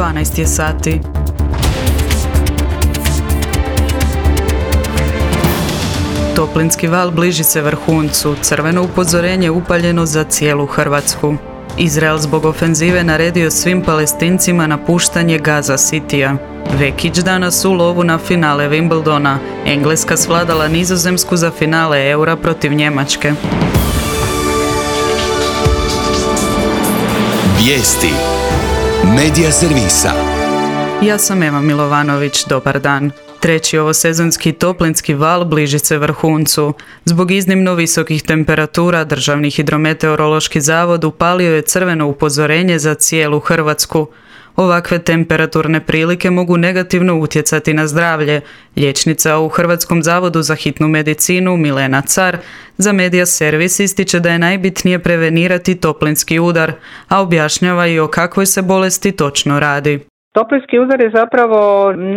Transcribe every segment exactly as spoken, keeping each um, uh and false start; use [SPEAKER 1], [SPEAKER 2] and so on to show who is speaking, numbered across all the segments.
[SPEAKER 1] dvanaest je sati. Toplinski val bliži se vrhuncu, crveno upozorenje upaljeno za cijelu Hrvatsku. Izrael zbog ofenzive naredio svim Palestincima napuštanje Gaza Citya. Vekić danas u lovu na finale Wimbledona. Engleska svladala Nizozemsku za finale Eura protiv Njemačke.
[SPEAKER 2] Vijesti Medija servisa.
[SPEAKER 1] Ja sam Ema Milovanović, dobar dan. Treći ovosezonski toplinski val bliži se vrhuncu. Zbog iznimno visokih temperatura Državni hidrometeorološki zavod upalio je crveno upozorenje za cijelu Hrvatsku. Ovakve temperaturne prilike mogu negativno utjecati na zdravlje. Liječnica u Hrvatskom zavodu za hitnu medicinu Milena Car za Medija servis ističe da je najbitnije prevenirati toplinski udar, a objašnjava i o kakvoj se bolesti točno radi.
[SPEAKER 3] Toplinski udar je zapravo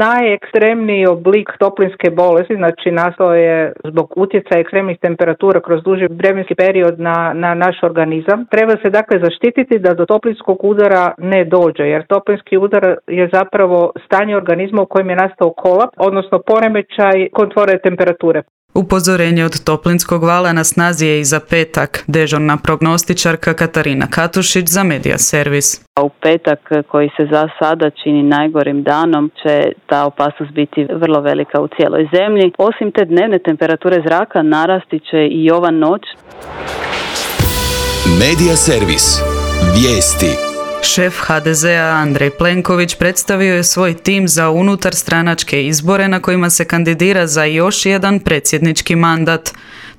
[SPEAKER 3] najekstremniji oblik toplinske bolesti, znači nastao je zbog utjecaja ekstremnih temperatura kroz duži vremenski period na, na naš organizam. Treba se dakle zaštititi da do toplinskog udara ne dođe, jer toplinski udar je zapravo stanje organizma u kojem je nastao kolaps, odnosno poremećaj kontrole temperature.
[SPEAKER 1] Upozorenje od toplinskog vala na snazi je i za petak, dežurna prognostičarka Katarina Katušić za Medija servis.
[SPEAKER 4] U petak, koji se za sada čini najgorim danom, će ta opasnost biti vrlo velika u cijeloj zemlji. Osim te dnevne temperature zraka, narasti će i ova noć.
[SPEAKER 2] Medija servis. Vijesti.
[SPEAKER 1] Šef ha de zea Andrej Plenković predstavio je svoj tim za unutarstranačke izbore na kojima se kandidira za još jedan predsjednički mandat.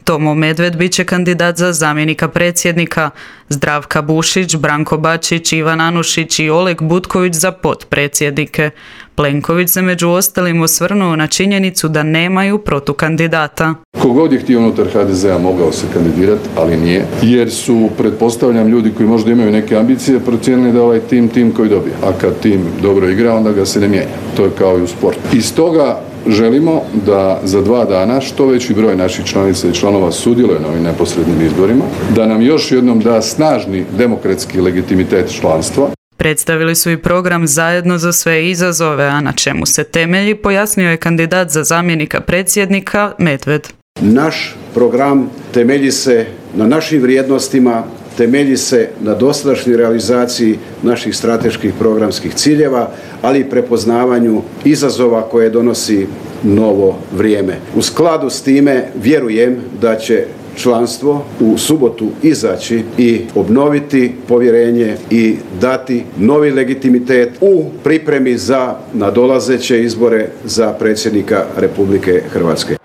[SPEAKER 1] Tomo Medved bit će kandidat za zamjenika predsjednika, Zdravka Bušić, Branko Bačić, Ivan Anušić i Oleg Butković za potpredsjednike. Plenković se među ostalim osvrnuo na činjenicu da nemaju protukandidata.
[SPEAKER 5] Kogod je htio unutar ha de zea mogao se kandidirati, ali nije, jer su, pretpostavljam, ljudi koji možda imaju neke ambicije procijenili da ovaj tim tim koji dobije. A kad tim dobro igra, onda ga se ne mijenja. To je kao i u sportu. Iz toga želimo da za dva dana što veći broj naših članica i članova sudjeluje na ovim neposrednim izborima, da nam još jednom da snažni demokratski legitimitet članstva.
[SPEAKER 1] Predstavili su i program Zajedno za sve izazove, a na čemu se temelji, pojasnio je kandidat za zamjenika predsjednika Medved.
[SPEAKER 6] Naš program temelji se na našim vrijednostima, temelji se na dosadašnjoj realizaciji naših strateških programskih ciljeva, ali i prepoznavanju izazova koje donosi novo vrijeme. U skladu s time vjerujem da će članstvo u subotu izaći i obnoviti povjerenje i dati novi legitimitet u pripremi za nadolazeće izbore za predsjednika Republike Hrvatske.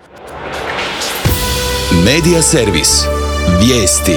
[SPEAKER 2] Medija servis. Vijesti.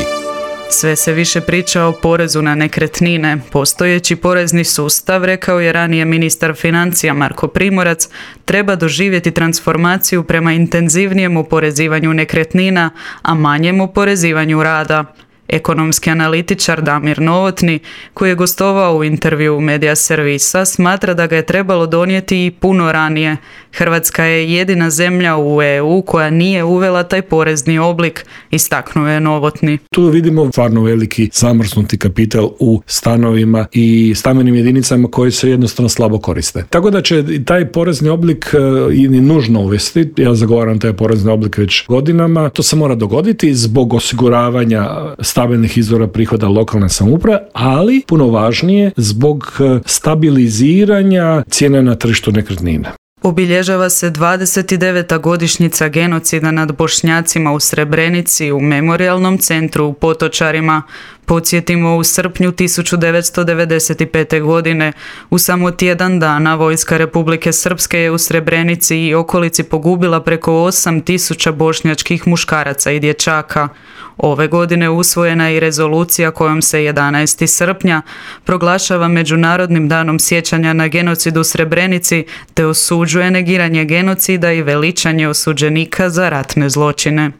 [SPEAKER 1] Sve se više priča o porezu na nekretnine. Postojeći porezni sustav, rekao je ranije ministar financija Marko Primorac, treba doživjeti transformaciju prema intenzivnijem oporezivanju nekretnina, a manjem oporezivanju rada. Ekonomski analitičar Damir Novotni, koji je gostovao u intervju Medija servisa, smatra da ga je trebalo donijeti i puno ranije. Hrvatska je jedina zemlja u e u koja nije uvela taj porezni oblik, istaknuo je Novotni.
[SPEAKER 7] Tu vidimo stvarno veliki zamrznuti kapital u stanovima i stambenim jedinicama koji se jednostavno slabo koriste. Tako da će taj porezni oblik i nužno uvesti, ja zagovaram taj porezni oblik već godinama, to se mora dogoditi zbog osiguravanja stabilnih izvora prihoda lokalne samouprave, ali puno važnije zbog stabiliziranja cijene na tržištu nekretnina.
[SPEAKER 1] Obilježava se dvadeset deveta godišnjica genocida nad Bošnjacima u Srebrenici u Memorijalnom centru u Potočarima. Podsjetimo, u srpnju tisuću devetsto devedeset pete. godine u samo tjedan dana vojska Republike Srpske je u Srebrenici i okolici pogubila preko osam tisuća bošnjačkih muškaraca i dječaka. Ove godine usvojena je i rezolucija kojom se jedanaestog srpnja proglašava Međunarodnim danom sjećanja na genocid u Srebrenici te osuđuje negiranje genocida i veličanje osuđenika za ratne zločine.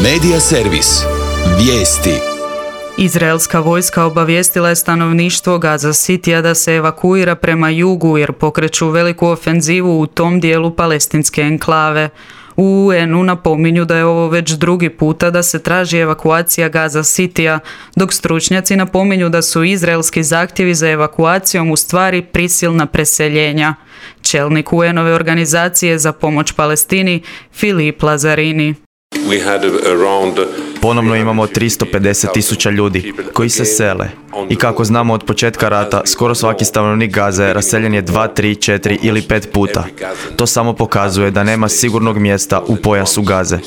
[SPEAKER 2] Medija servis. Vijesti.
[SPEAKER 1] Izraelska vojska obavijestila je stanovništvo Gaza Citya da se evakuira prema jugu jer pokreću veliku ofenzivu u tom dijelu palestinske enklave. U U N-u napominju da je ovo već drugi puta da se traži evakuacija Gaza Citya, dok stručnjaci napominju da su izraelski zahtjevi za evakuacijom u stvari prisilna preseljenja. Čelnik U N-ove organizacije za pomoć Palestini Filip Lazzarini.
[SPEAKER 8] Ponovno imamo tristo pedeset tisuća ljudi koji se sele. I kako znamo od početka rata, skoro svaki stanovnik Gaze raseljen je dva, tri, četiri ili pet puta. To samo pokazuje da nema sigurnog mjesta u pojasu Gaze.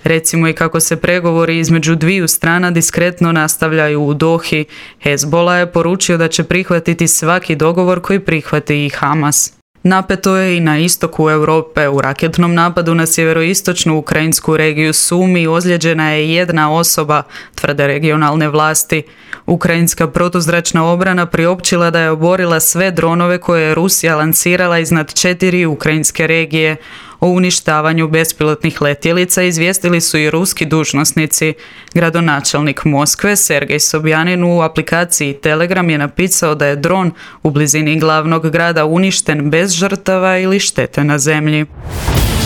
[SPEAKER 1] Recimo i kako se pregovori između dviju strana diskretno nastavljaju u Dohi. Hezbollah je poručio da će prihvatiti svaki dogovor koji prihvati i Hamas. Napeto je i na istoku Europe. U raketnom napadu na sjeveroistočnu ukrajinsku regiju Sumi ozlijeđena je jedna osoba, tvrde regionalne vlasti. Ukrajinska protuzračna obrana priopćila da je oborila sve dronove koje je Rusija lansirala iznad četiri ukrajinske regije. O uništavanju bespilotnih letjelica izvijestili su i ruski dužnosnici. Gradonačelnik Moskve Sergej Sobjanin u aplikaciji Telegram je napisao da je dron u blizini glavnog grada uništen bez žrtava ili štete na zemlji.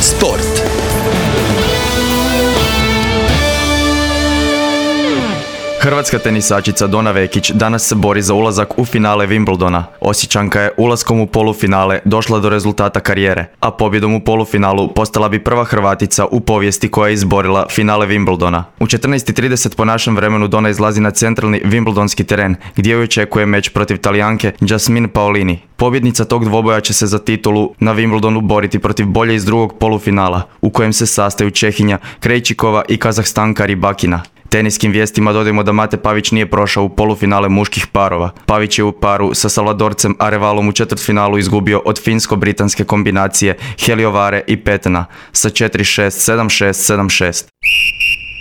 [SPEAKER 2] Sport.
[SPEAKER 8] Hrvatska tenisačica Dona Vekić danas se bori za ulazak u finale Wimbledona. Osječanka je ulaskom u polufinale došla do rezultata karijere, a pobjedom u polufinalu postala bi prva Hrvatica u povijesti koja je izborila finale Wimbledona. U četrnaest i trideset po našem vremenu Dona izlazi na centralni Wimbledonski teren, gdje joj očekuje meč protiv Talijanke Jasmine Paolini. Pobjednica tog dvoboja će se za titulu na Wimbledonu boriti protiv bolje iz drugog polufinala, u kojem se sastaju Čehinja Krejčikova i Kazahstanka Rybakina. Teniskim vijestima dodajemo da Mate Pavić nije prošao u polufinale muških parova. Pavić je u paru sa Salvadorcem Arevalom u četvrtfinalu izgubio od finsko-britanske kombinacije Heliovare i Petena sa četiri šest, sedam šest, sedam šest.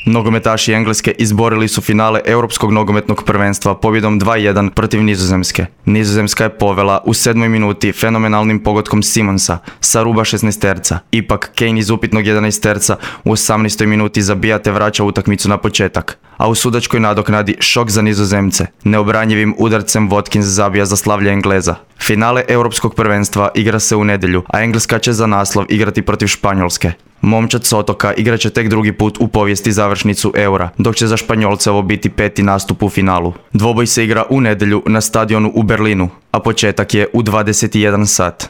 [SPEAKER 8] Nogometaši Engleske izborili su finale Europskog nogometnog prvenstva pobjedom dva jedan protiv Nizozemske. Nizozemska je povela u sedmoj minuti fenomenalnim pogodkom Simonsa sa ruba šesnaesterca. Ipak Kane iz upitnog jedanaesterca u osamnaestoj minuti zabija te vraća utakmicu na početak. A u sudačkoj nadoknadi šok za Nizozemce. Neobranjivim udarcem Watkins zabija za slavlje Engleza. Finale Europskog prvenstva igra se u nedjelju, a Engleska će za naslov igrati protiv Španjolske. Momčad s otoka igrat će tek drugi put u povijesti završnicu Eura, dok će za Španjolce ovo biti peti nastup u finalu. Dvoboj se igra u nedjelju na stadionu u Berlinu, a početak je u dvadeset i jedan sat.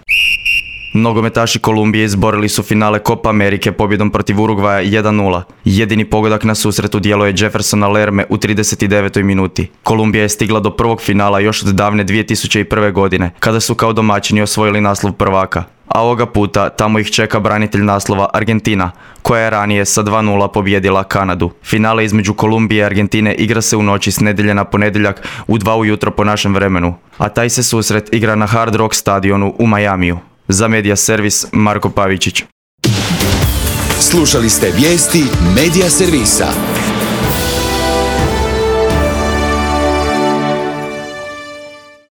[SPEAKER 8] Nogometaši Kolumbije izborili su finale Copa Amerike pobjedom protiv Urugvaja jedan nula. Jedini pogodak na susretu djelo je Jeffersona Lerme u trideset devetoj minuti. Kolumbija je stigla do prvog finala još od davne dvije tisuće prve. godine, kada su kao domaćini osvojili naslov prvaka. A ovoga puta tamo ih čeka branitelj naslova Argentina, koja je ranije sa dva nula pobjedila Kanadu. Finale između Kolumbije i Argentine igra se u noći s nedjelje na ponedjeljak u dva ujutro po našem vremenu, a taj se susret igra na Hard Rock stadionu u Majamiju. Za Medija Servis, Marko Pavičić.
[SPEAKER 2] Slušali ste vijesti Medija Servisa.